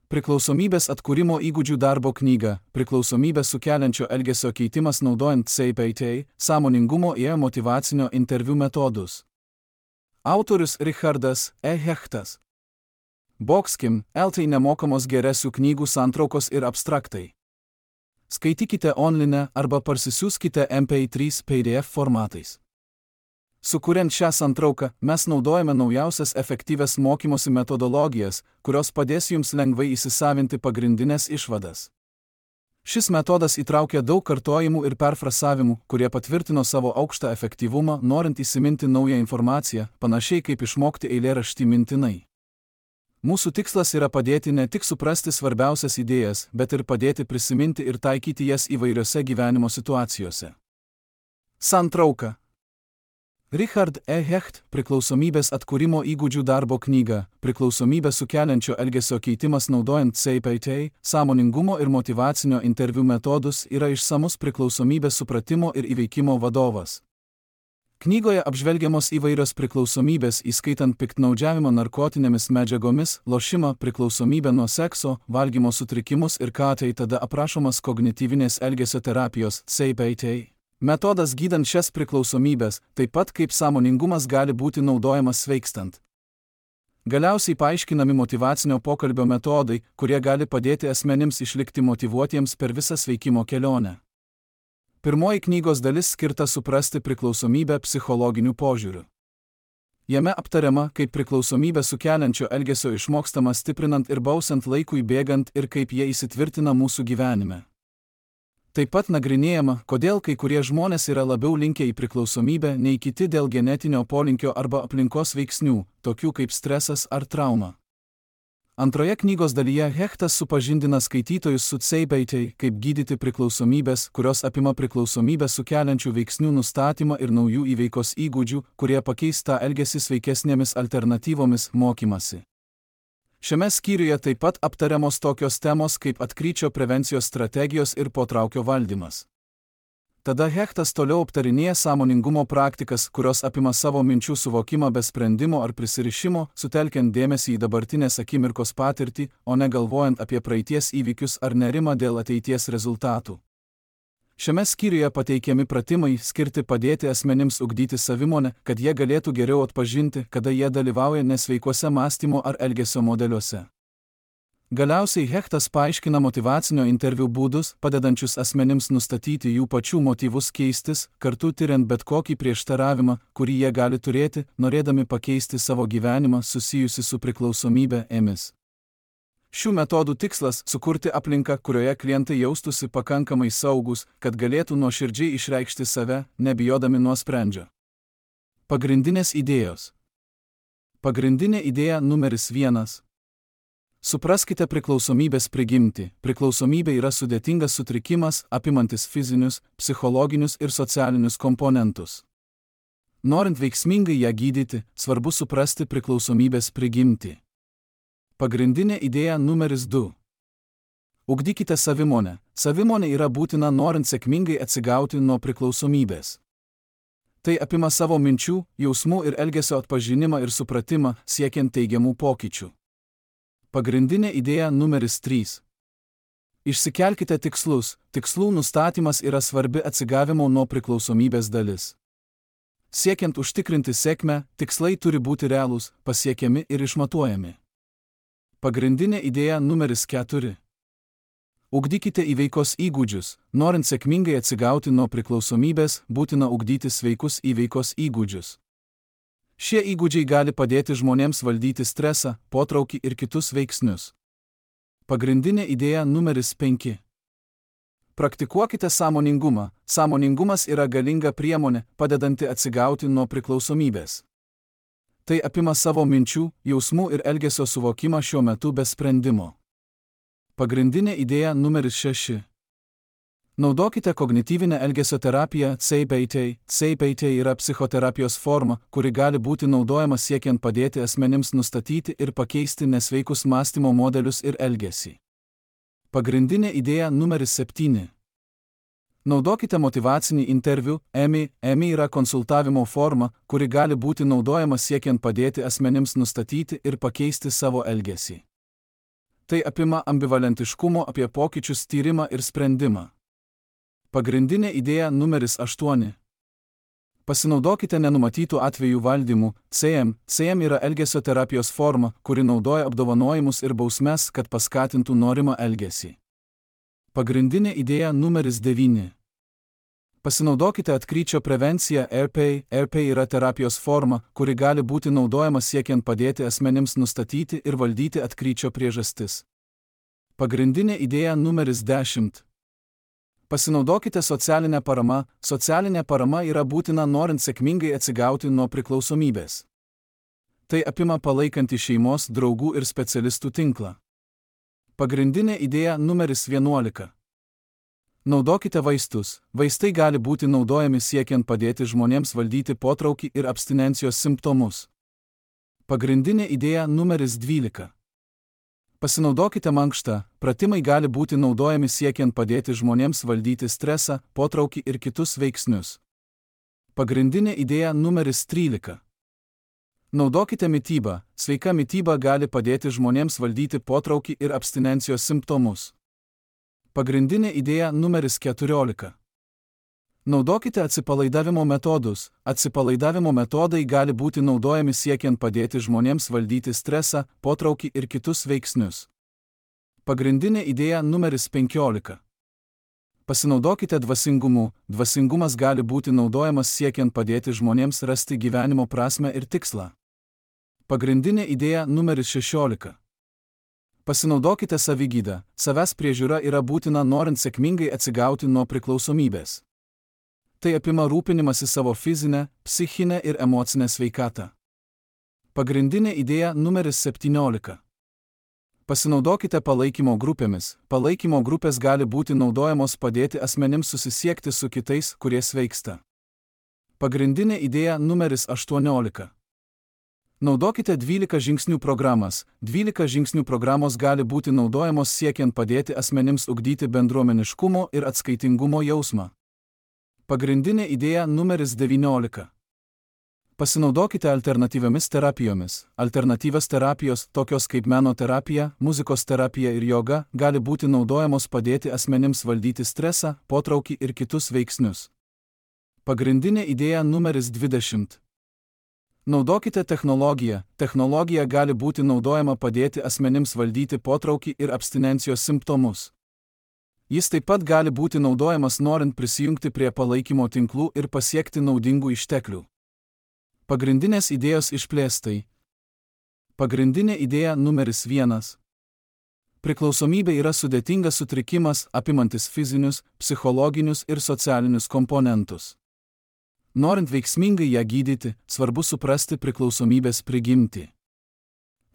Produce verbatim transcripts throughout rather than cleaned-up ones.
Priklausomybės atkūrimo įgūdžių darbo knyga, priklausomybę sukeliančio elgesio keitimas naudojant C P T, sąmoningumo ir motyvacinio interviu metodus. Autorius Richardas E. Hechtas. Boxkim, L T nemokamos geresių knygų santraukos ir abstraktai. Skaitykite online arba parsisiųskite M P trys P D F formatais. Sukuriant šią santrauką, mes naudojame naujausias efektyvias mokymosi metodologijas, kurios padės jums lengvai įsisavinti pagrindinės išvadas. Šis metodas įtraukia daug kartojimų ir perfrasavimų, kurie patvirtino savo aukštą efektyvumą, norint įsiminti naują informaciją, panašiai kaip išmokti eilėraštį mintinai. Mūsų tikslas yra padėti ne tik suprasti svarbiausias idėjas, bet ir padėti prisiminti ir taikyti jas įvairiose gyvenimo situacijose. Santrauka. Richard E. Hecht, priklausomybės atkūrimo įgūdžių darbo knyga, priklausomybę sukeliančio elgesio keitimas naudojant C P T, sąmoningumo ir motyvacinio interviu metodus yra išsamus priklausomybės supratimo ir įveikimo vadovas. Knygoje apžvelgiamos įvairios priklausomybės, įskaitant piktnaudžiavimo narkotinėmis medžiagomis, lošimą, priklausomybę nuo sekso, valgymo sutrikimus ir ką tai tada aprašomas kognityvinės elgesio terapijos C P T. Metodas gydant šias priklausomybės, taip pat kaip sąmoningumas gali būti naudojamas sveikstant. Galiausiai paaiškinami motyvacinio pokalbio metodai, kurie gali padėti asmenims išlikti motyvuotiems per visą sveikimo kelionę. Pirmoji knygos dalis skirta suprasti priklausomybę psichologiniu požiūriu. Jame aptariama, kaip priklausomybę sukeliančio elgesio išmokstama stiprinant ir bausant laikui bėgant ir kaip jie įsitvirtina mūsų gyvenime. Taip pat nagrinėjama, kodėl kai kurie žmonės yra labiau linkę į priklausomybę nei kiti dėl genetinio polinkio arba aplinkos veiksnių, tokių kaip stresas ar trauma. Antroje knygos dalyje Hechtas supažindina skaitytojus su C P T, kaip gydyti priklausomybės, kurios apima priklausomybę sukeliančių veiksnių nustatymą ir naujų įveikos įgūdžių, kurie pakeis tą elgesį sveikesnėmis alternatyvomis mokymasi. Šiame skyriuje taip pat aptariamos tokios temos kaip atkryčio prevencijos strategijos ir potraukio valdymas. Tada Hechtas toliau aptarinėja sąmoningumo praktikas, kurios apima savo minčių suvokimą be sprendimo ar prisirišimo, sutelkiant dėmesį į dabartinės akimirkos patirtį, o ne galvojant apie praeities įvykius ar nerimą dėl ateities rezultatų. Šiame skyriuje pateikiami pratimai skirti padėti asmenims ugdyti savimonę, kad jie galėtų geriau atpažinti, kada jie dalyvauja nesveikuose mąstymo ar elgesio modeliuose. Galiausiai Hechtas paaiškina motyvacinio interviu būdus, padedančius asmenims nustatyti jų pačių motyvus keistis, kartu tiriant bet kokį prieštaravimą, kurį jie gali turėti, norėdami pakeisti savo gyvenimą susijusi su priklausomybe ėmis. Šių metodų tikslas – sukurti aplinką, kurioje klientai jaustųsi pakankamai saugus, kad galėtų nuoširdžiai išreikšti save, nebijodami nuosprendžio. Pagrindinės idėjos. Pagrindinė idėja numeris vienas. Supraskite priklausomybės prigimtį. Priklausomybė yra sudėtingas sutrikimas, apimantis fizinius, psichologinius ir socialinius komponentus. Norint veiksmingai ją gydyti, svarbu suprasti priklausomybės prigimtį. Pagrindinė idėja numeris du. Ugdykite savimonę. Savimonė yra būtina norint sėkmingai atsigauti nuo priklausomybės. Tai apima savo minčių, jausmų ir elgesio atpažinimą ir supratimą, siekiant teigiamų pokyčių. Pagrindinė idėja numeris trys. Išsikelkite tikslus. Tikslų nustatymas yra svarbi atsigavimo nuo priklausomybės dalis. Siekiant užtikrinti sėkmę, tikslai turi būti realūs, pasiekiami ir išmatuojami. Pagrindinė idėja numeris keturi. Ugdykite įveikos įgūdžius. Norint sėkmingai atsigauti nuo priklausomybės, būtina ugdyti sveikus įveikos įgūdžius. Šie įgūdžiai gali padėti žmonėms valdyti stresą, potraukį ir kitus veiksnius. Pagrindinė idėja numeris penki. Praktikuokite sąmoningumą. Sąmoningumas yra galinga priemonė, padedanti atsigauti nuo priklausomybės. Tai apima savo minčių, jausmų ir elgesio suvokimą šiuo metu be sprendimo. Pagrindinė idėja numeris šeši. Naudokite kognityvinę elgesio terapiją C P T. C P T yra psichoterapijos forma, kuri gali būti naudojama siekiant padėti asmenims nustatyti ir pakeisti nesveikus mąstymo modelius ir elgesį. Pagrindinė idėja numeris septyni. Naudokite motyvacinį interviu. E M I. E M I yra konsultavimo forma, kuri gali būti naudojama siekiant padėti asmenims nustatyti ir pakeisti savo elgesį. Tai apima ambivalentiškumo apie pokyčius tyrimą ir sprendimą. Pagrindinė idėja numeris aštuoni. Pasinaudokite nenumatytų atvejų valdymu. C M. C M yra elgesio terapijos forma, kuri naudoja apdovanojimus ir bausmes, kad paskatintų norimą elgesį. Pagrindinė idėja numeris devyni. Pasinaudokite atkryčio prevenciją. R P A. R P A yra terapijos forma, kuri gali būti naudojama siekiant padėti asmenims nustatyti ir valdyti atkryčio priežastis. Pagrindinė idėja numeris dešimt. Pasinaudokite socialinę paramą. Socialinė parama yra būtina norint sėkmingai atsigauti nuo priklausomybės. Tai apima palaikantį šeimos, draugų ir specialistų tinklą. Pagrindinė idėja numeris vienuolika. Naudokite vaistus. Vaistai gali būti naudojami siekiant padėti žmonėms valdyti potraukį ir abstinencijos simptomus. Pagrindinė idėja numeris dvylika. Pasinaudokite mankštą. Pratimai gali būti naudojami siekiant padėti žmonėms valdyti stresą, potraukį ir kitus veiksnius. Pagrindinė idėja numeris trylika. Naudokite mitybą. Sveika mityba gali padėti žmonėms valdyti potraukį ir abstinencijos simptomus. Pagrindinė idėja numeris keturiolika. Naudokite atsipalaidavimo metodus. Atsipalaidavimo metodai gali būti naudojami siekiant padėti žmonėms valdyti stresą, potraukį ir kitus veiksnius. Pagrindinė idėja numeris penkiolika. Pasinaudokite dvasingumu. Dvasingumas gali būti naudojamas siekiant padėti žmonėms rasti gyvenimo prasmę ir tikslą. Pagrindinė idėja numeris šešiolika. Pasinaudokite savigydą. Savęs priežiūra yra būtina norint sėkmingai atsigauti nuo priklausomybės. Tai apima rūpinimąsi savo fizinę, psichinę ir emocinę sveikatą. Pagrindinė idėja numeris septyniolika. Pasinaudokite palaikymo grupėmis. Palaikymo grupės gali būti naudojamos padėti asmenims susisiekti su kitais, kurie sveiksta. Pagrindinė idėja numeris aštuoniolika. Naudokite dvylika žingsnių programas. dvylika žingsnių programos gali būti naudojamos siekiant padėti asmenims ugdyti bendruomeniškumo ir atskaitingumo jausmą. Pagrindinė idėja numeris devyniolika. Pasinaudokite alternatyviomis terapijomis. Alternatyvios terapijos, tokios kaip meno terapija, muzikos terapija ir joga, gali būti naudojamos padėti asmenims valdyti stresą, potraukį ir kitus veiksnius. Pagrindinė idėja numeris dvidešimt. Naudokite technologiją. Technologija gali būti naudojama padėti asmenims valdyti potraukį ir abstinencijos simptomus. Jis taip pat gali būti naudojamas norint prisijungti prie palaikymo tinklų ir pasiekti naudingų išteklių. Pagrindinės idėjos išplėstai. Pagrindinė idėja numeris vienas. Priklausomybė yra sudėtingas sutrikimas, apimantis fizinius, psichologinius ir socialinius komponentus. Norint veiksmingai ją gydyti, svarbu suprasti priklausomybės prigimtį.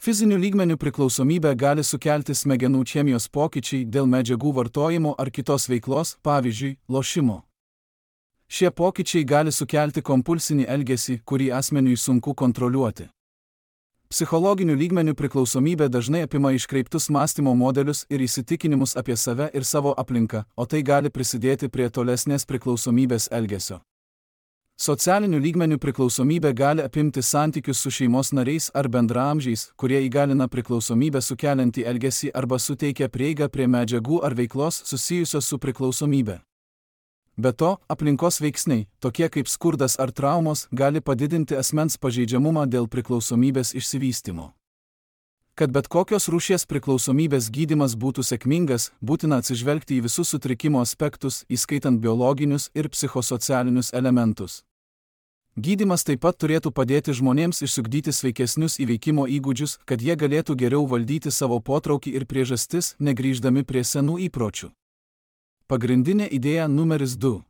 Fizinių lygmenių priklausomybę gali sukelti smegenų chemijos pokyčiai dėl medžiagų vartojimo ar kitos veiklos, pavyzdžiui, lošimo. Šie pokyčiai gali sukelti kompulsinį elgesį, kurį asmeniui sunku kontroliuoti. Psichologinių lygmenių priklausomybė dažnai apima iškreiptus mąstymo modelius ir įsitikinimus apie save ir savo aplinką, o tai gali prisidėti prie tolesnės priklausomybės elgesio. Socialinių lygmenių priklausomybė gali apimti santykius su šeimos nariais ar bendraamžiais, kurie įgalina priklausomybę sukeliantį elgesį arba suteikia prieigą prie medžiagų ar veiklos susijusios su priklausomybė. Be to, aplinkos veiksniai, tokie kaip skurdas ar traumos, gali padidinti asmens pažeidžiamumą dėl priklausomybės išsivystymo. Kad bet kokios rūšies priklausomybės gydymas būtų sėkmingas, būtina atsižvelgti į visus sutrikimo aspektus, įskaitant biologinius ir psichosocialinius elementus. Gydymas taip pat turėtų padėti žmonėms išsiugdyti sveikesnius įveikimo įgūdžius, kad jie galėtų geriau valdyti savo potraukį ir priežastis, negrįždami prie senų įpročių. Pagrindinė idėja numeris du.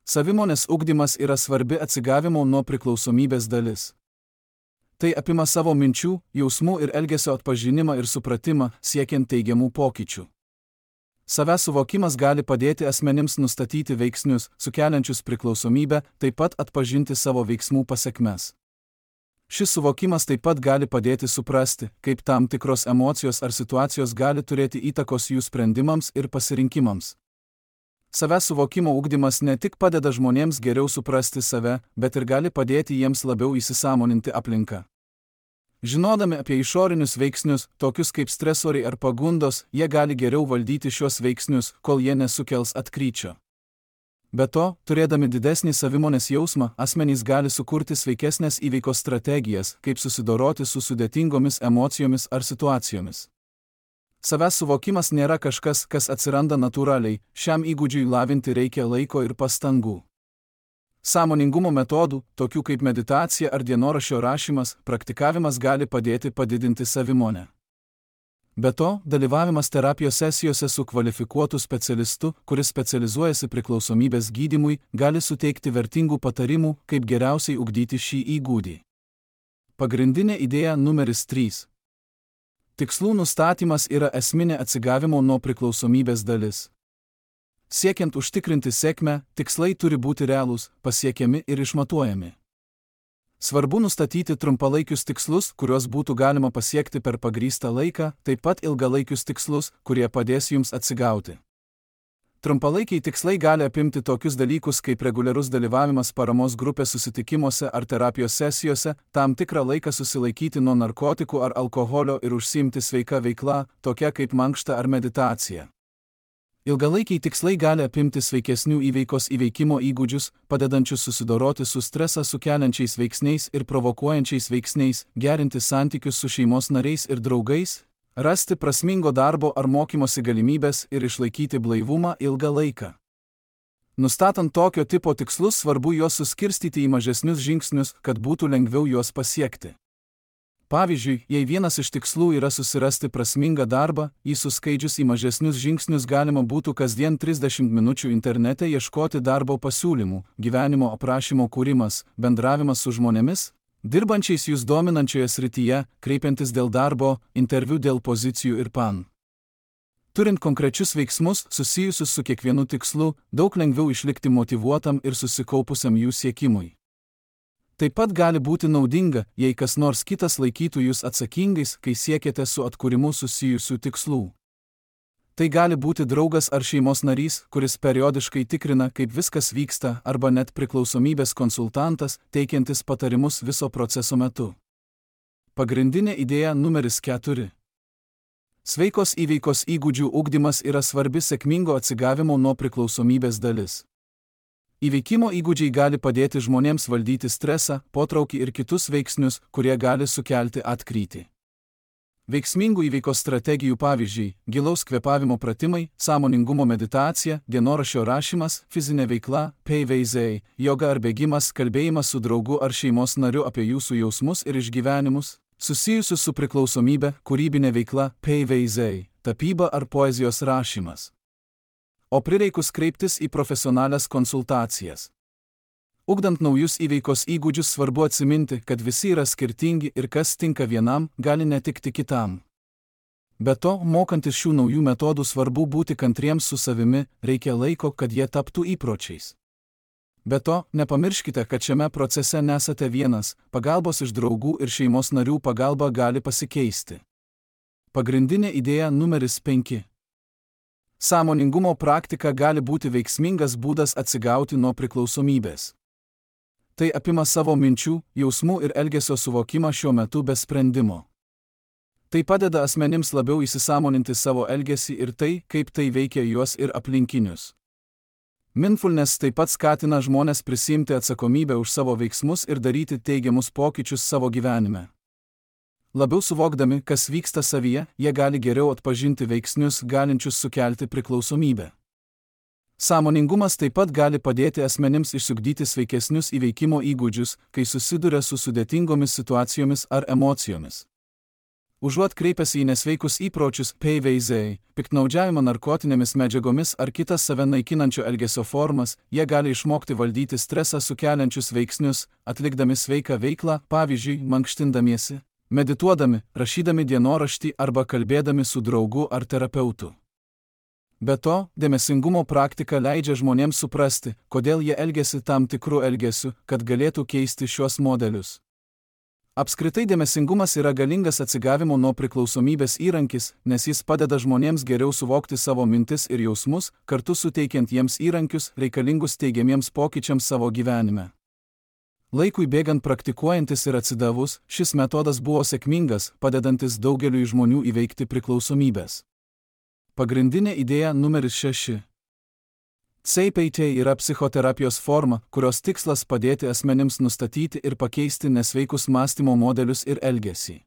Savimonės ugdymas yra svarbi atsigavimo nuo priklausomybės dalis. Tai apima savo minčių, jausmų ir elgesio atpažinimą ir supratimą, siekiant teigiamų pokyčių. Savęs suvokimas gali padėti asmenims nustatyti veiksnius, sukeliančius priklausomybę, taip pat atpažinti savo veiksmų pasekmes. Šis suvokimas taip pat gali padėti suprasti, kaip tam tikros emocijos ar situacijos gali turėti įtakos jų sprendimams ir pasirinkimams. Savęs suvokimo ugdymas ne tik padeda žmonėms geriau suprasti save, bet ir gali padėti jiems labiau įsisąmoninti aplinką. Žinodami apie išorinius veiksnius, tokius kaip stresoriai ar pagundos, jie gali geriau valdyti šios veiksnius, kol jie nesukels atkryčio. Be to, turėdami didesnį savimonės jausmą, asmenys gali sukurti sveikesnės įveikos strategijas, kaip susidoroti su sudėtingomis emocijomis ar situacijomis. Savęs suvokimas nėra kažkas, kas atsiranda natūraliai, šiam įgūdžiui lavinti reikia laiko ir pastangų. Sąmoningumo metodų, tokių kaip meditacija ar dienoraščio rašymas, praktikavimas gali padėti padidinti savimonę. Be to, dalyvavimas terapijos sesijose su kvalifikuotu specialistu, kuris specializuojasi priklausomybės gydymui, gali suteikti vertingų patarimų, kaip geriausiai ugdyti šį įgūdį. Pagrindinė idėja numeris trys. Tikslų nustatymas yra esminė atsigavimo nuo priklausomybės dalis. Siekiant užtikrinti sėkmę, tikslai turi būti realūs, pasiekiami ir išmatuojami. Svarbu nustatyti trumpalaikius tikslus, kuriuos būtų galima pasiekti per pagrįstą laiką, taip pat ilgalaikius tikslus, kurie padės jums atsigauti. Trumpalaikiai tikslai gali apimti tokius dalykus kaip reguliarus dalyvavimas paramos grupės susitikimuose ar terapijos sesijose, tam tikrą laiką susilaikyti nuo narkotikų ar alkoholio ir užsiimti sveika veikla, tokia kaip mankšta ar meditacija. Ilgalaikiai tikslai gali apimti sveikesnių įveikos įveikimo įgūdžius, padedančius susidoroti su stresą sukeliančiais veiksniais ir provokuojančiais veiksniais, gerinti santykius su šeimos nariais ir draugais, rasti prasmingo darbo ar mokymosi galimybės ir išlaikyti blaivumą ilgą laiką. Nustatant tokio tipo tikslus, svarbu juos suskirstyti į mažesnius žingsnius, kad būtų lengviau juos pasiekti. Pavyzdžiui, jei vienas iš tikslų yra susirasti prasmingą darbą, jį suskaidžius į mažesnius žingsnius galima būtų kasdien trisdešimt minučių internete ieškoti darbo pasiūlymų, gyvenimo aprašymo kūrimas, bendravimas su žmonėmis, dirbančiais jūs dominančioje srityje, kreipiantis dėl darbo, interviu dėl pozicijų ir pan. Turint konkrečius veiksmus, susijusius su kiekvienu tikslu, daug lengviau išlikti motyvuotam ir susikaupusiam jų siekimui. Taip pat gali būti naudinga, jei kas nors kitas laikytų jūs atsakingais, kai siekiate su atkūrimu susijusių tikslų. Tai gali būti draugas ar šeimos narys, kuris periodiškai tikrina, kaip viskas vyksta, arba net priklausomybės konsultantas, teikiantis patarimus viso proceso metu. Pagrindinė idėja numeris keturi. Sveikos įveikos įgūdžių ugdymas yra svarbi sėkmingo atsigavimo nuo priklausomybės dalis. Įveikimo įgūdžiai gali padėti žmonėms valdyti stresą, potraukį ir kitus veiksnius, kurie gali sukelti atkrytį. Veiksmingų įveikos strategijų pavyzdžiai – gilaus kvėpavimo pratimai, sąmoningumo meditacija, dienoraščio rašymas, fizinė veikla, P V Z, joga ar bėgimas, kalbėjimas su draugu ar šeimos nariu apie jūsų jausmus ir išgyvenimus, susijusius su priklausomybe, kūrybinė veikla, P V Z, tapyba ar poezijos rašymas. O prireikus kreiptis į profesionalias konsultacijas. Ugdant naujus įveikos įgūdžius svarbu atsiminti, kad visi yra skirtingi ir kas tinka vienam, gali netikti kitam. Be to, mokantis šių naujų metodų svarbu būti kantriems su savimi, reikia laiko, kad jie taptų įpročiais. Be to, nepamirškite, kad šiame procese nesate vienas, pagalbos iš draugų ir šeimos narių pagalba gali pasikeisti. Pagrindinė idėja numeris penki. Sąmoningumo praktika gali būti veiksmingas būdas atsigauti nuo priklausomybės. Tai apima savo minčių, jausmų ir elgesio suvokimą šiuo metu be sprendimo. Tai padeda asmenims labiau įsisąmoninti savo elgesį ir tai, kaip tai veikia juos ir aplinkinius. Mindfulness taip pat skatina žmones prisiimti atsakomybę už savo veiksmus ir daryti teigiamus pokyčius savo gyvenime. Labiau suvokdami, kas vyksta savyje, jie gali geriau atpažinti veiksnius, galinčius sukelti priklausomybę. Sąmoningumas taip pat gali padėti asmenims išsiugdyti sveikesnius įveikimo įgūdžius, kai susiduria su sudėtingomis situacijomis ar emocijomis. Užuot kreipęsi į nesveikus įpročius, P V Z, piktnaudžiavimą narkotinėmis medžiagomis ar kitas save naikinančio elgesio formas, jie gali išmokti valdyti stresą sukeliančius veiksnius, atlikdami sveiką veiklą, pavyzdžiui, mankštindamiesi, medituodami, rašydami dienoraštį arba kalbėdami su draugu ar terapeutu. Be to, dėmesingumo praktika leidžia žmonėms suprasti, kodėl jie elgiasi tam tikrų elgesių, kad galėtų keisti šiuos modelius. Apskritai dėmesingumas yra galingas atsigavimo nuo priklausomybės įrankis, nes jis padeda žmonėms geriau suvokti savo mintis ir jausmus, kartu suteikiant jiems įrankius reikalingus teigiamiems pokyčiams savo gyvenime. Laikui bėgant praktikuojantis ir atsidavus, šis metodas buvo sėkmingas, padedantis daugeliui žmonių įveikti priklausomybės. Pagrindinė idėja numeris šeši. C P T yra psichoterapijos forma, kurios tikslas padėti asmenims nustatyti ir pakeisti nesveikus mąstymo modelius ir elgesį.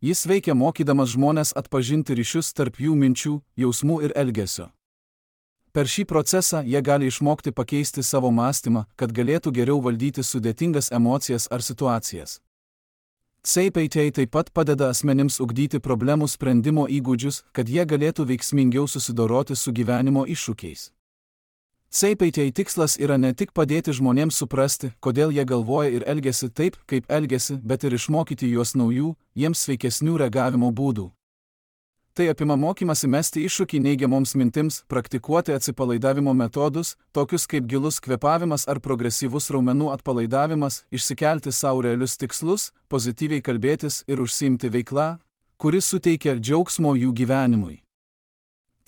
Jis veikia mokydamas žmones atpažinti ryšius tarp jų minčių, jausmų ir elgesio. Per šį procesą jie gali išmokti pakeisti savo mąstymą, kad galėtų geriau valdyti sudėtingas emocijas ar situacijas. C P T taip pat padeda asmenims ugdyti problemų sprendimo įgūdžius, kad jie galėtų veiksmingiau susidoroti su gyvenimo iššūkiais. C P T tikslas yra ne tik padėti žmonėms suprasti, kodėl jie galvoja ir elgiasi taip, kaip elgiasi, bet ir išmokyti juos naujų, jiems sveikesnių reagavimo būdų. Tai apima mokymasi mesti iššūkį neigiamoms mintims, praktikuoti atsipalaidavimo metodus, tokius kaip gilus kvėpavimas ar progresyvus raumenų atpalaidavimas, išsikelti savo realius tikslus, pozityviai kalbėtis ir užsiimti veiklą, kuris suteikia džiaugsmo jų gyvenimui.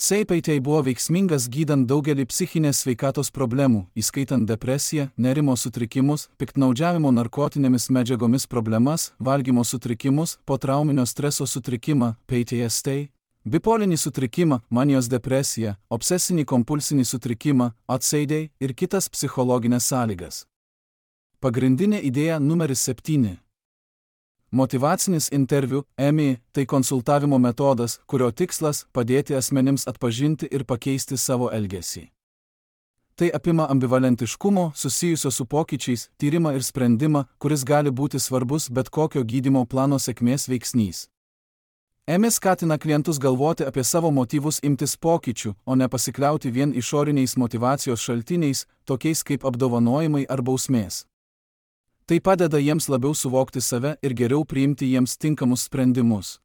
C P T buvo veiksmingas gydant daugelį psichinės sveikatos problemų, įskaitant depresiją, nerimo sutrikimus, piktnaudžiavimo narkotinėmis medžiagomis problemas, valgymo sutrikimus, potrauminio streso sutrikimą, P T S D, bipolinį sutrikimą, manijos depresiją, obsesinį kompulsinį sutrikimą, O C D ir kitas psichologinės sąlygas. Pagrindinė idėja numeris septyni. Motyvacinis interviu, M I, tai konsultavimo metodas, kurio tikslas padėti asmenims atpažinti ir pakeisti savo elgesį. Tai apima ambivalentiškumo, susijusio su pokyčiais, tyrimą ir sprendimą, kuris gali būti svarbus bet kokio gydymo plano sėkmės veiksnys. M I skatina klientus galvoti apie savo motyvus imtis pokyčių, o ne pasikliauti vien išoriniais motyvacijos šaltiniais, tokiais kaip apdovanojimai ar bausmės. Tai padeda jiems labiau suvokti save ir geriau priimti jiems tinkamus sprendimus.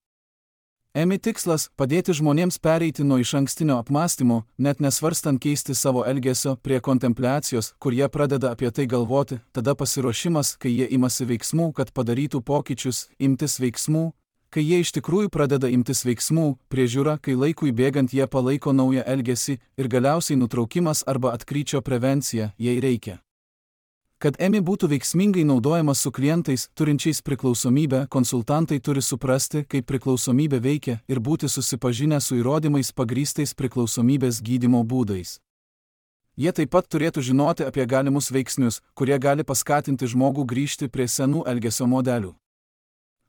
M I tikslas – padėti žmonėms pereiti nuo išankstinio apmąstymo, net nesvarstant keisti savo elgesio, prie kontempliacijos, kur jie pradeda apie tai galvoti, tada pasiruošimas, kai jie imasi veiksmų, kad padarytų pokyčius, imtis veiksmų, kai jie iš tikrųjų pradeda imtis veiksmų, priežiūra, kai laikui bėgant jie palaiko naują elgesį ir galiausiai nutraukimas arba atkryčio prevencija, jei reikia. Kad M I būtų veiksmingai naudojamas su klientais, turinčiais priklausomybę, konsultantai turi suprasti, kaip priklausomybė veikia ir būti susipažinę su įrodymais pagrįstais priklausomybės gydymo būdais. Jie taip pat turėtų žinoti apie galimus veiksnius, kurie gali paskatinti žmogų grįžti prie senų elgesio modelių.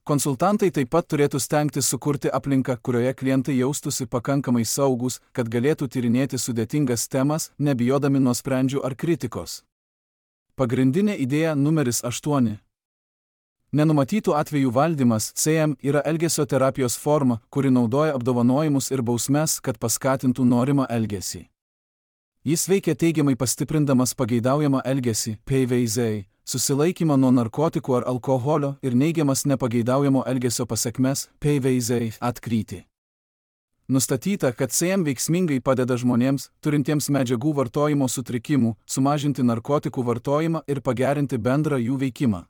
Konsultantai taip pat turėtų stengtis sukurti aplinką, kurioje klientai jaustųsi pakankamai saugūs, kad galėtų tyrinėti sudėtingas temas, nebijodami nuosprendžių ar kritikos. Pagrindinė idėja numeris aštuoni. Nenumatytų atvejų valdymas C M yra elgesio terapijos forma, kuri naudoja apdovanojimus ir bausmes, kad paskatintų norimą elgesį. Jis veikia teigiamai pastiprindamas pageidaujamą elgesį, P V Z, susilaikymą nuo narkotikų ar alkoholio ir neigiamas nepageidaujamo elgesio pasekmes, P V Z, atkrytį. Nustatyta, kad C M veiksmingai padeda žmonėms, turintiems medžiagų vartojimo sutrikimų, sumažinti narkotikų vartojimą ir pagerinti bendrą jų veikimą.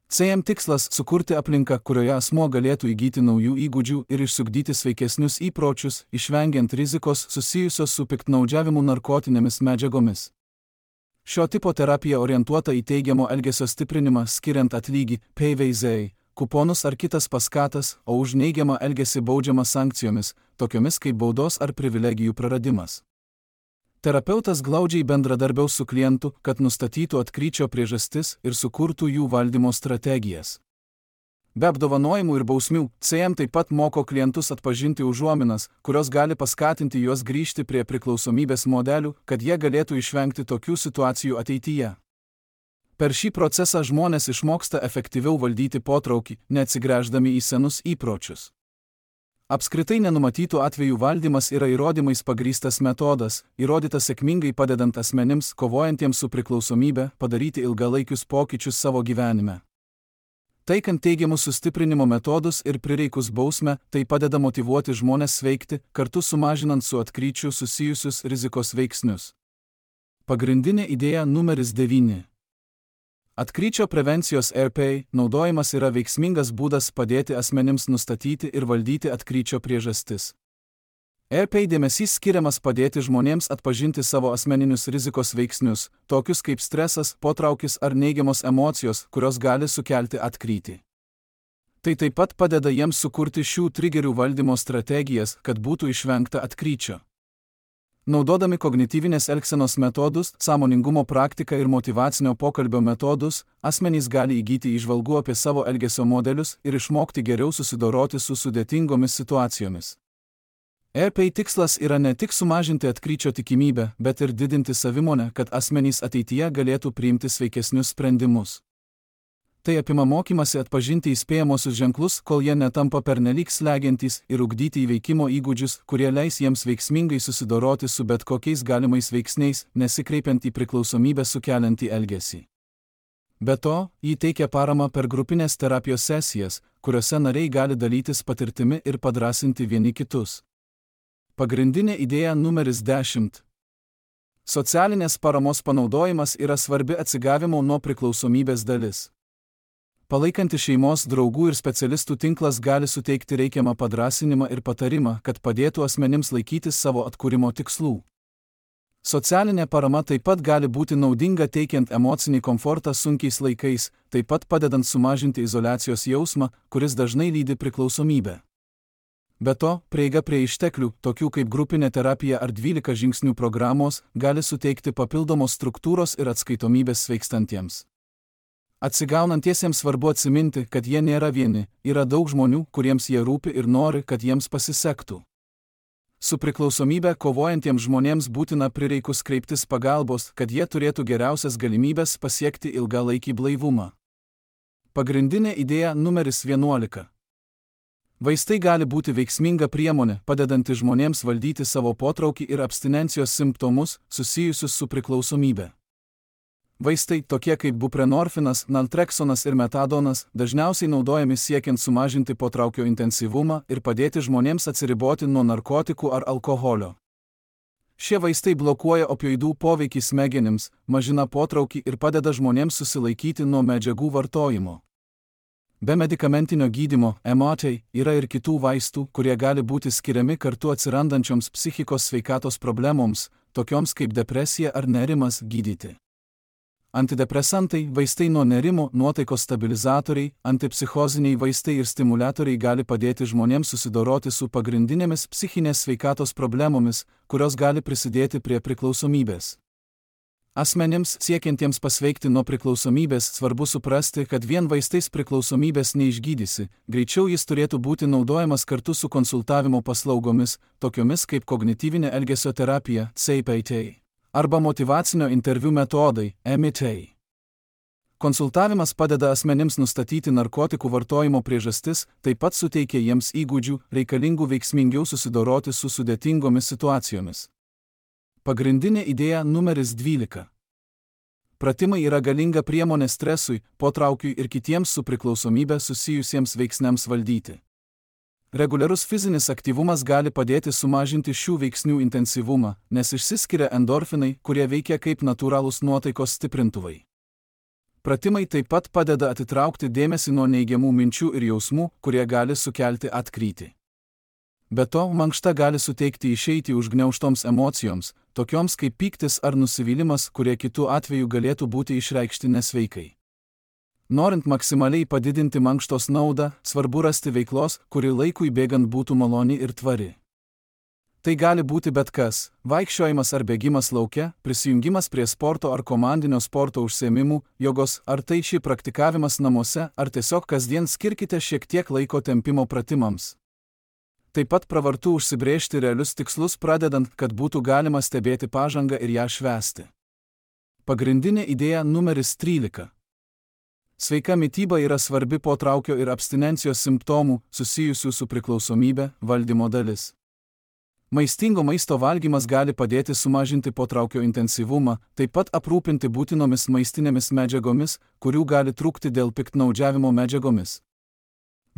C M tikslas – sukurti aplinką, kurioje asmuo galėtų įgyti naujų įgūdžių ir išsiugdyti sveikesnius įpročius, išvengiant rizikos susijusios su piktnaudžiavimu narkotinėmis medžiagomis. Šio tipo terapija orientuota į teigiamo elgesio stiprinimą, skiriant atlygį, P V Z, kuponus ar kitas paskatas, o už neigiamą elgesį baudžiama sankcijomis, tokiomis kaip baudos ar privilegijų praradimas. Terapeutas glaudžiai bendradarbiaus su klientu, kad nustatytų atkryčio priežastis ir sukurtų jų valdymo strategijas. Be apdovanojimų ir bausmių, C M taip pat moko klientus atpažinti užuominas, kurios gali paskatinti juos grįžti prie priklausomybės modelių, kad jie galėtų išvengti tokių situacijų ateityje. Per šį procesą žmonės išmoksta efektyviau valdyti potraukį, neatsigręždami į senus įpročius. Apskritai nenumatytų atvejų valdymas yra įrodymais pagrįstas metodas, įrodytas sėkmingai padedant asmenims, kovojantiems su priklausomybe, padaryti ilgalaikius pokyčius savo gyvenime. Taikant teigiamus sustiprinimo metodus ir prireikus bausmę, tai padeda motyvuoti žmones sveikti, kartu sumažinant su atkryčiu susijusius rizikos veiksnius. Pagrindinė idėja numeris devyni. Atkryčio prevencijos R P naudojimas yra veiksmingas būdas padėti asmenims nustatyti ir valdyti atkryčio priežastis. E R P dėmesys skiriamas padėti žmonėms atpažinti savo asmeninius rizikos veiksnius, tokius kaip stresas, potraukis ar neigiamos emocijos, kurios gali sukelti atkrytį. Tai taip pat padeda jiems sukurti šių trigerių valdymo strategijas, kad būtų išvengta atkryčio. Naudodami kognityvinės elgsenos metodus, sąmoningumo praktiką ir motyvacinio pokalbio metodus, asmenys gali įgyti įžvalgų apie savo elgesio modelius ir išmokti geriau susidoroti su sudėtingomis situacijomis. E R P tikslas yra ne tik sumažinti atkryčio tikimybę, bet ir didinti savimonę, kad asmenys ateityje galėtų priimti sveikesnius sprendimus. Tai apima mokymasi atpažinti įspėjamosius ženklus, kol jie netampa pernelyg slegiantys, ir ugdyti įveikimo įgūdžius, kurie leis jiems veiksmingai susidoroti su bet kokiais galimais veiksniais, nesikreipiant į priklausomybę sukeliantį elgesį. Be to, jį teikia paramą per grupinės terapijos sesijas, kuriuose nariai gali dalytis patirtimi ir padrąsinti vieni kitus. Pagrindinė idėja numeris dešimt. Socialinės paramos panaudojimas yra svarbi atsigavimo nuo priklausomybės dalis. Palaikanti šeimos, draugų ir specialistų tinklas gali suteikti reikiamą padrąsinimą ir patarimą, kad padėtų asmenims laikytis savo atkūrimo tikslų. Socialinė parama taip pat gali būti naudinga teikiant emocinį komfortą sunkiais laikais, taip pat padedant sumažinti izoliacijos jausmą, kuris dažnai lydi priklausomybę. Be to, prieiga prie išteklių, tokių kaip grupinė terapija ar dvylika žingsnių programos, gali suteikti papildomos struktūros ir atskaitomybės sveikstantiems. Atsigaunantiesiems svarbu atsiminti, kad jie nėra vieni, yra daug žmonių, kuriems jie rūpi ir nori, kad jiems pasisektų. Su priklausomybe kovojantiems žmonėms būtina prireikus kreiptis pagalbos, kad jie turėtų geriausias galimybės pasiekti ilgalaikį blaivumą. Pagrindinė idėja numeris vienuolika. Vaistai gali būti veiksminga priemonė, padedanti žmonėms valdyti savo potraukį ir abstinencijos simptomus, susijusius su priklausomybe. Vaistai, tokie kaip buprenorfinas, naltreksonas ir metadonas, dažniausiai naudojami siekiant sumažinti potraukio intensyvumą ir padėti žmonėms atsiriboti nuo narkotikų ar alkoholio. Šie vaistai blokuoja opioidų poveikį smegenims, mažina potraukį ir padeda žmonėms susilaikyti nuo medžiagų vartojimo. Be medikamentinio gydymo, M A T, yra ir kitų vaistų, kurie gali būti skiriami kartu atsirandančioms psichikos sveikatos problemoms, tokioms kaip depresija ar nerimas, gydyti. Antidepresantai, vaistai nuo nerimo, nuotaikos stabilizatoriai, antipsichoziniai vaistai ir stimuliatoriai gali padėti žmonėms susidoroti su pagrindinėmis psichinės sveikatos problemomis, kurios gali prisidėti prie priklausomybės. Asmenims, siekiantiems pasveikti nuo priklausomybės, svarbu suprasti, kad vien vaistais priklausomybės neišgydysi, greičiau jis turėtų būti naudojamas kartu su konsultavimo paslaugomis, tokiomis kaip kognityvinė elgesio terapija, C P T, arba motyvacinio interviu metodai, M I T. Konsultavimas padeda asmenims nustatyti narkotikų vartojimo priežastis, taip pat suteikia jiems įgūdžių, reikalingų veiksmingiau susidoroti su sudėtingomis situacijomis. Pagrindinė idėja numeris dvylika. Pratimai yra galinga priemonė stresui, potraukiui ir kitiems su priklausomybė susijusiems veiksniams valdyti. Reguliarus fizinis aktyvumas gali padėti sumažinti šių veiksnių intensyvumą, nes išsiskiria endorfinai, kurie veikia kaip natūralūs nuotaikos stiprintuvai. Pratimai taip pat padeda atitraukti dėmesį nuo neigiamų minčių ir jausmų, kurie gali sukelti atkrytį. Be to, mankšta gali suteikti išeitį užgniaužtoms emocijoms, tokioms kaip pyktis ar nusivylimas, kurie kitų atveju galėtų būti išreikšti nesveikai. Norint maksimaliai padidinti mankštos naudą, svarbu rasti veiklos, kuri laikui bėgant būtų maloni ir tvari. Tai gali būti bet kas – vaikščiojimas ar bėgimas lauke, prisijungimas prie sporto ar komandinio sporto užsiėmimų, jogos, ar tai ši praktikavimas namuose, ar tiesiog kasdien skirkite šiek tiek laiko tempimo pratimams. Taip pat pravartu užsibrėžti realius tikslus, pradedant, kad būtų galima stebėti pažangą ir ją švęsti. Pagrindinė idėja numeris trylika. Sveika mityba yra svarbi potraukio ir abstinencijos simptomų, susijusių su priklausomybe, valdymo dalis. Maistingo maisto valgymas gali padėti sumažinti potraukio intensyvumą, taip pat aprūpinti būtinomis maistinėmis medžiagomis, kurių gali trūkti dėl piktnaudžiavimo medžiagomis.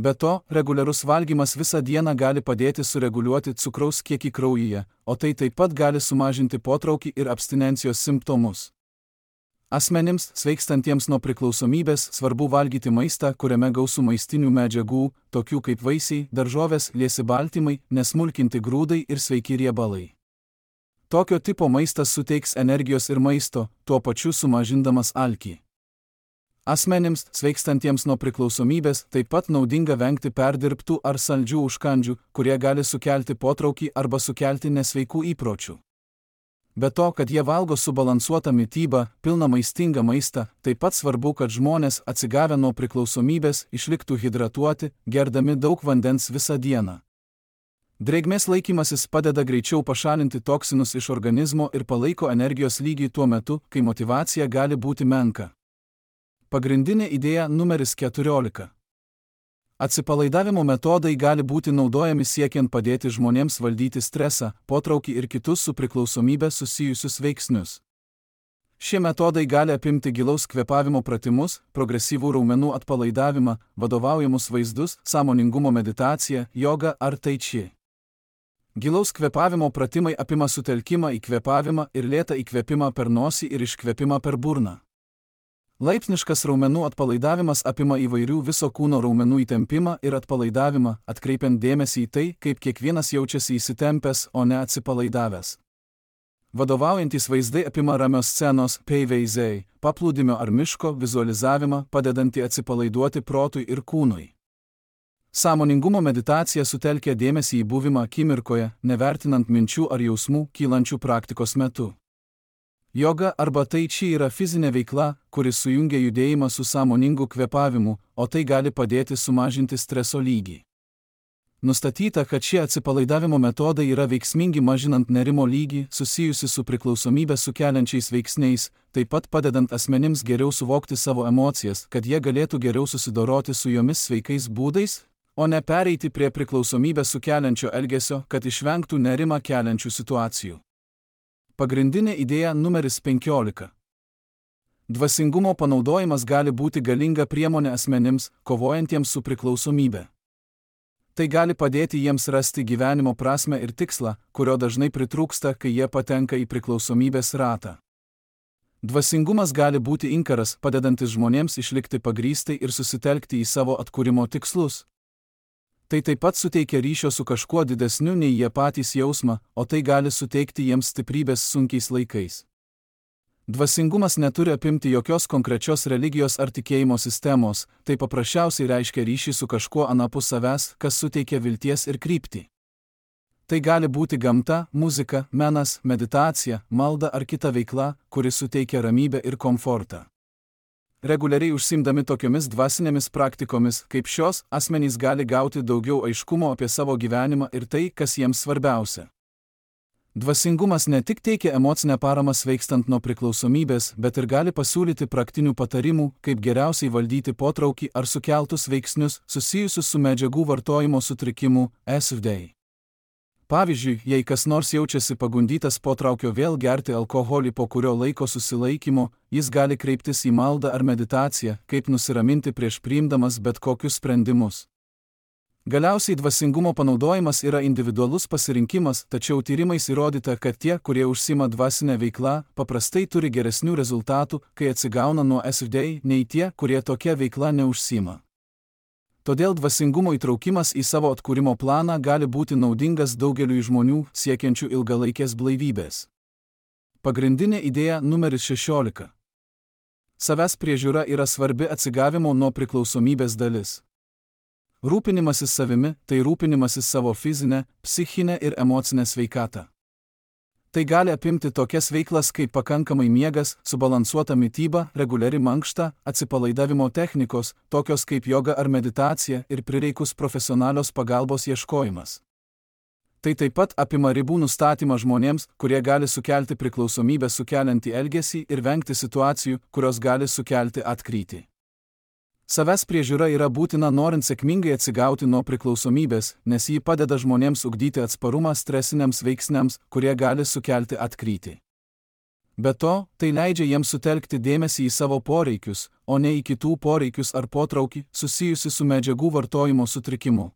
Be to, reguliarus valgymas visą dieną gali padėti sureguliuoti cukraus kiekį kraujyje, o tai taip pat gali sumažinti potraukį ir abstinencijos simptomus. Asmenims, sveikstantiems nuo priklausomybės, svarbu valgyti maistą, kuriame gausu maistinių medžiagų, tokių kaip vaisiai, daržovės, liesi baltymai, nesmulkinti grūdai ir sveiki riebalai. Tokio tipo maistas suteiks energijos ir maisto, tuo pačiu sumažindamas alkį. Asmenims, sveikstantiems nuo priklausomybės, taip pat naudinga vengti perdirbtų ar saldžių užkandžių, kurie gali sukelti potraukį arba sukelti nesveikų įpročių. Be to, kad jie valgo subalansuotą mitybą, pilną maistingą maistą, taip pat svarbu, kad žmonės, atsigavę nuo priklausomybės, išliktų hidratuoti, gerdami daug vandens visą dieną. Drėgmės laikymasis padeda greičiau pašalinti toksinus iš organizmo ir palaiko energijos lygį tuo metu, kai motyvacija gali būti menka. Pagrindinė idėja numeris keturiolika. Atsipalaidavimo metodai gali būti naudojami siekiant padėti žmonėms valdyti stresą, potraukį ir kitus su priklausomybė susijusius veiksnius. Šie metodai gali apimti gilaus kvėpavimo pratimus, progresyvų raumenų atpalaidavimą, vadovaujamus vaizdus, sąmoningumo meditaciją, jogą ar tai či. Gilaus kvėpavimo pratimai apima sutelkimą į kvėpavimą ir lėtą įkvėpimą per nosį ir iškvėpimą per burną. Laipsniškas raumenų atpalaidavimas apima įvairių viso kūno raumenų įtempimą ir atpalaidavimą, atkreipiant dėmesį į tai, kaip kiekvienas jaučiasi įsitempęs, o ne atsipalaidavęs. Vadovaujantys vaizdai apima ramios scenos, peiveizai, paplūdimio ar miško vizualizavimą, padedantį atsipalaiduoti protui ir kūnui. Sąmoningumo meditacija sutelkia dėmesį į buvimą akimirkoje, nevertinant minčių ar jausmų, kylančių praktikos metu. Joga arba tai či yra fizinė veikla, kuris sujungia judėjimą su sąmoningu kvėpavimu, o tai gali padėti sumažinti streso lygį. Nustatyta, kad šie atsipalaidavimo metodai yra veiksmingi mažinant nerimo lygį, susijusi su priklausomybę sukeliančiais veiksniais, taip pat padedant asmenims geriau suvokti savo emocijas, kad jie galėtų geriau susidoroti su jomis sveikais būdais, o ne pereiti prie priklausomybę sukeliančio elgesio, kad išvengtų nerimą keliančių situacijų. Pagrindinė idėja numeris penkiolika. Dvasingumo panaudojimas gali būti galinga priemonė asmenims, kovojantiems su priklausomybe. Tai gali padėti jiems rasti gyvenimo prasmę ir tikslą, kurio dažnai pritrūksta, kai jie patenka į priklausomybės ratą. Dvasingumas gali būti inkaras, padedantis žmonėms išlikti pagrįstai ir susitelkti į savo atkūrimo tikslus. Tai taip pat suteikia ryšio su kažkuo didesniu nei jie patys jausmą, o tai gali suteikti jiems stiprybės sunkiais laikais. Dvasingumas neturi apimti jokios konkrečios religijos ar tikėjimo sistemos, tai paprasčiausiai reiškia ryšį su kažkuo anapus savęs, kas suteikia vilties ir kryptį. Tai gali būti gamta, muzika, menas, meditacija, malda ar kita veikla, kuri suteikia ramybę ir komfortą. Reguliariai užsiimdami tokiomis dvasinėmis praktikomis, kaip šios, asmenys gali gauti daugiau aiškumo apie savo gyvenimą ir tai, kas jiems svarbiausia. Dvasingumas ne tik teikia emocinę paramą sveikstant nuo priklausomybės, bet ir gali pasiūlyti praktinių patarimų, kaip geriausiai valdyti potraukį ar sukeltus veiksnius susijusius su medžiagų vartojimo sutrikimu, S V D. Pavyzdžiui, jei kas nors jaučiasi pagundytas potraukio vėl gerti alkoholį po kurio laiko susilaikymo, jis gali kreiptis į maldą ar meditaciją, kaip nusiraminti prieš priimdamas bet kokius sprendimus. Galiausiai dvasingumo panaudojimas yra individualus pasirinkimas, tačiau tyrimais įrodyta, kad tie, kurie užsima dvasinę veiklą, paprastai turi geresnių rezultatų, kai atsigauna nuo S V D, nei tie, kurie tokia veikla neužsima. Todėl dvasingumo įtraukimas į savo atkūrimo planą gali būti naudingas daugeliui žmonių siekiančių ilgalaikės blaivybės. Pagrindinė idėja numeris šešiolika. Savęs priežiūra yra svarbi atsigavimo nuo priklausomybės dalis. Rūpinimasis savimi – tai rūpinimasis savo fizinę, psichinę ir emocinę sveikatą. Tai gali apimti tokias veiklas kaip pakankamai miegas, subalansuota mityba, reguliari mankšta, atsipalaidavimo technikos, tokios kaip joga ar meditacija ir prireikus profesionalios pagalbos ieškojimas. Tai taip pat apima ribų nustatymą žmonėms, kurie gali sukelti priklausomybę sukeliantį elgesį ir vengti situacijų, kurios gali sukelti atkrytį. Savęs priežiūra yra būtina norint sėkmingai atsigauti nuo priklausomybės, nes ji padeda žmonėms ugdyti atsparumą stresiniams veiksniams, kurie gali sukelti atkrytį. Be to, tai leidžia jiems sutelkti dėmesį į savo poreikius, o ne į kitų poreikius ar potraukį, susijusi su medžiagų vartojimo sutrikimu.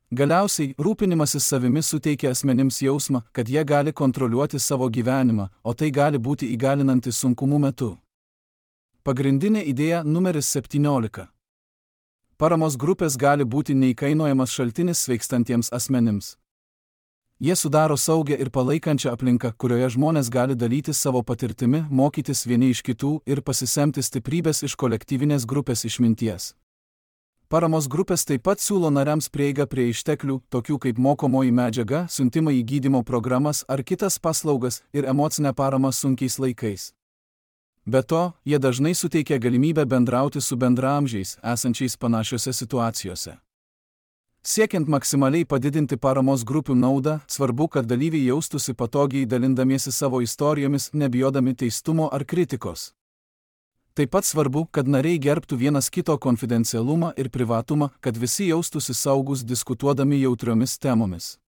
Galiausiai, rūpinimasis savimi suteikia asmenims jausmą, kad jie gali kontroliuoti savo gyvenimą, o tai gali būti įgalinantis sunkumų metu. Pagrindinė idėja numeris septyniolika. Paramos grupės gali būti neįkainojamas šaltinis sveikstantiems asmenims. Jie sudaro saugią ir palaikančią aplinką, kurioje žmonės gali dalytis savo patirtimi, mokytis vieni iš kitų ir pasisemti stiprybės iš kolektyvinės grupės išminties. Paramos grupės taip pat siūlo nariams prieigą prie išteklių, tokių kaip mokomoji medžiaga, siuntimai į gydymo programas ar kitas paslaugas ir emocinę paramą sunkiais laikais. Be to, jie dažnai suteikia galimybę bendrauti su bendraamžiais, esančiais panašiose situacijose. Siekiant maksimaliai padidinti paramos grupių naudą, svarbu, kad dalyviai jaustųsi patogiai dalindamiesi savo istorijomis, nebijodami teistumo ar kritikos. Taip pat svarbu, kad nariai gerbtų vienas kito konfidencialumą ir privatumą, kad visi jaustųsi saugus diskutuodami jautriomis temomis.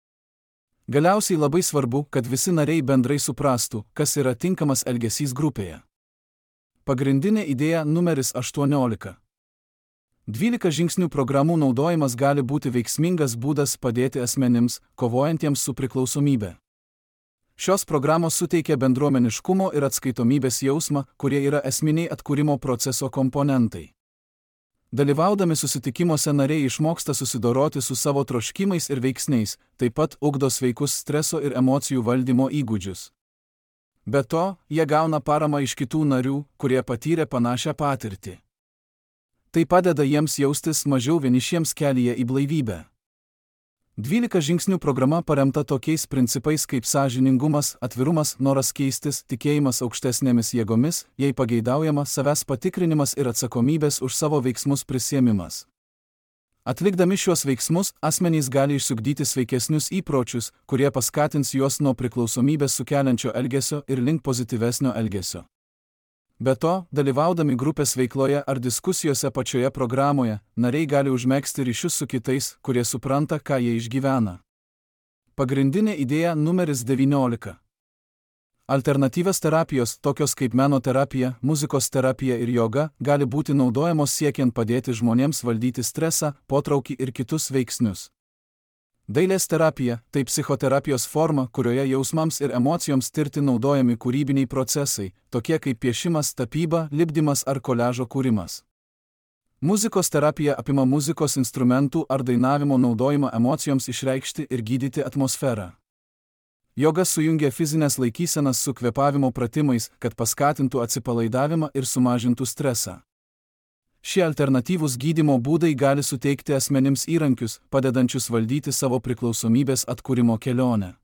Galiausiai labai svarbu, kad visi nariai bendrai suprastų, kas yra tinkamas elgesys grupėje. Pagrindinė idėja numeris aštuoniolika. dvylika žingsnių programų naudojimas gali būti veiksmingas būdas padėti asmenims, kovojantiems su priklausomybe. Šios programos suteikia bendruomeniškumo ir atskaitomybės jausmą, kurie yra esminiai atkūrimo proceso komponentai. Dalyvaudami susitikimuose nariai išmoksta susidoroti su savo troškimais ir veiksniais, taip pat ugdo sveikus streso ir emocijų valdymo įgūdžius. Be to, jie gauna paramą iš kitų narių, kurie patyrė panašią patirtį. Tai padeda jiems jaustis mažiau vienišiems kelyje į blaivybę. dvylika žingsnių programa paremta tokiais principais kaip sąžiningumas, atvirumas, noras keistis, tikėjimas aukštesnėmis jėgomis, jei pageidaujama, savęs patikrinimas ir atsakomybės už savo veiksmus prisiėmimas. Atlikdami šiuos veiksmus, asmenys gali išsiugdyti sveikesnius įpročius, kurie paskatins juos nuo priklausomybės sukeliančio elgesio ir link pozityvesnio elgesio. Be to, dalyvaudami grupės veikloje ar diskusijose pačioje programoje, nariai gali užmegzti ryšius su kitais, kurie supranta, ką jie išgyvena. Pagrindinė idėja numeris devyniolika. Alternatyvios terapijos, tokios kaip menoterapija, muzikos terapija ir joga, gali būti naudojamos siekiant padėti žmonėms valdyti stresą, potraukį ir kitus veiksnius. Dailės terapija – tai psichoterapijos forma, kurioje jausmams ir emocijoms tirti naudojami kūrybiniai procesai, tokie kaip piešimas, tapyba, lipdymas ar koliažo kūrimas. Muzikos terapija apima muzikos instrumentų ar dainavimo naudojimą emocijoms išreikšti ir gydyti atmosferą. Joga sujungia fizinės laikysenas su kvėpavimo pratimais, kad paskatintų atsipalaidavimą ir sumažintų stresą. Šie alternatyvūs gydymo būdai gali suteikti asmenims įrankius, padedančius valdyti savo priklausomybės atkūrimo kelionę.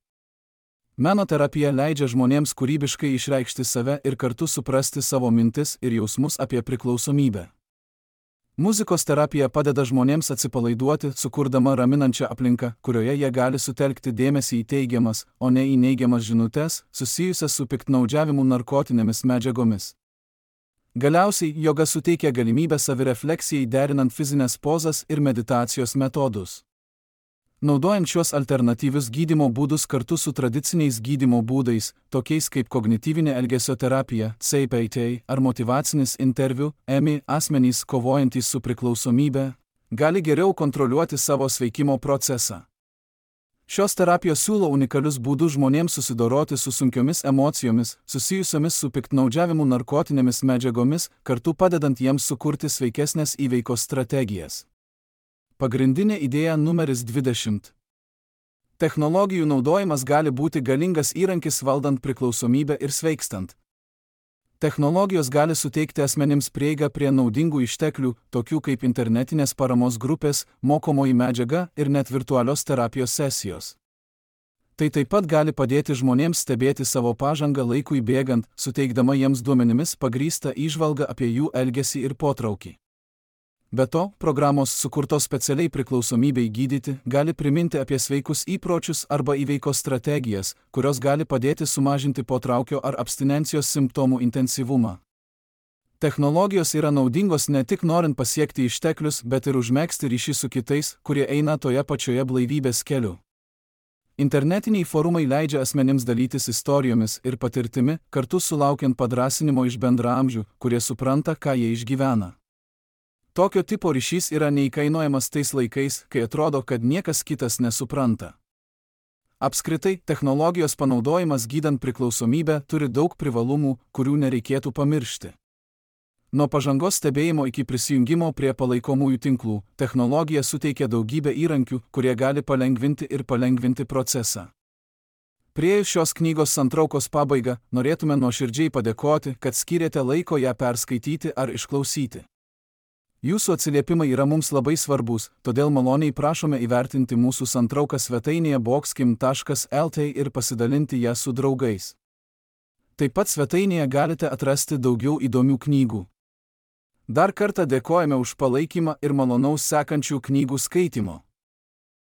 Menoterapija leidžia žmonėms kūrybiškai išreikšti save ir kartu suprasti savo mintis ir jausmus apie priklausomybę. Muzikos terapija padeda žmonėms atsipalaiduoti, sukurdama raminančią aplinką, kurioje jie gali sutelkti dėmesį į teigiamas, o ne į neigiamas žinutes, susijusias su piktnaudžiavimu narkotinėmis medžiagomis. Galiausiai, joga suteikia galimybę savirefleksijai derinant fizinės pozas ir meditacijos metodus. Naudojant šiuos alternatyvius gydymo būdus kartu su tradiciniais gydymo būdais, tokiais kaip kognityvinė elgesio terapija, C B T ar motyvacinis interviu, E M I, asmenys kovojantys su priklausomybe, gali geriau kontroliuoti savo sveikimo procesą. Šios terapijos siūlo unikalius būdus žmonėms susidoroti su sunkiomis emocijomis, susijusiomis su piktnaudžiavimu narkotinėmis medžiagomis, kartu padedant jiems sukurti sveikesnės įveikos strategijas. Pagrindinė idėja numeris dvidešimt. Technologijų naudojimas gali būti galingas įrankis valdant priklausomybę ir sveikstant. Technologijos gali suteikti asmenims prieigą prie naudingų išteklių, tokių kaip internetinės paramos grupės, mokomoji medžiaga ir net virtualios terapijos sesijos. Tai taip pat gali padėti žmonėms stebėti savo pažangą laikui bėgant, suteikdama jiems duomenimis pagrįstą įžvalgą apie jų elgesį ir potraukį. Be to, programos sukurtos specialiai priklausomybei gydyti gali priminti apie sveikus įpročius arba įveikos strategijas, kurios gali padėti sumažinti potraukio ar abstinencijos simptomų intensyvumą. Technologijos yra naudingos ne tik norint pasiekti išteklius, bet ir užmegzti ryšį su kitais, kurie eina toje pačioje blaivybės keliu. Internetiniai forumai leidžia asmenims dalytis istorijomis ir patirtimi, kartu sulaukiant padrąsinimo iš bendraamžių, kurie supranta, ką jie išgyvena. Tokio tipo ryšys yra neįkainojamas tais laikais, kai atrodo, kad niekas kitas nesupranta. Apskritai, technologijos panaudojimas gydant priklausomybę turi daug privalumų, kurių nereikėtų pamiršti. Nuo pažangos stebėjimo iki prisijungimo prie palaikomųjų tinklų, technologija suteikia daugybę įrankių, kurie gali palengvinti ir palengvinti procesą. Priėjus šios knygos santraukos pabaigą, norėtume nuoširdžiai padėkoti, kad skyrėte laiko ją perskaityti ar išklausyti. Jūsų atsiliepimai yra mums labai svarbus, todėl maloniai prašome įvertinti mūsų santrauką svetainėje boxkim taškas lt ir pasidalinti ją su draugais. Taip pat svetainėje galite atrasti daugiau įdomių knygų. Dar kartą dėkojame už palaikymą ir malonaus sekančių knygų skaitimo.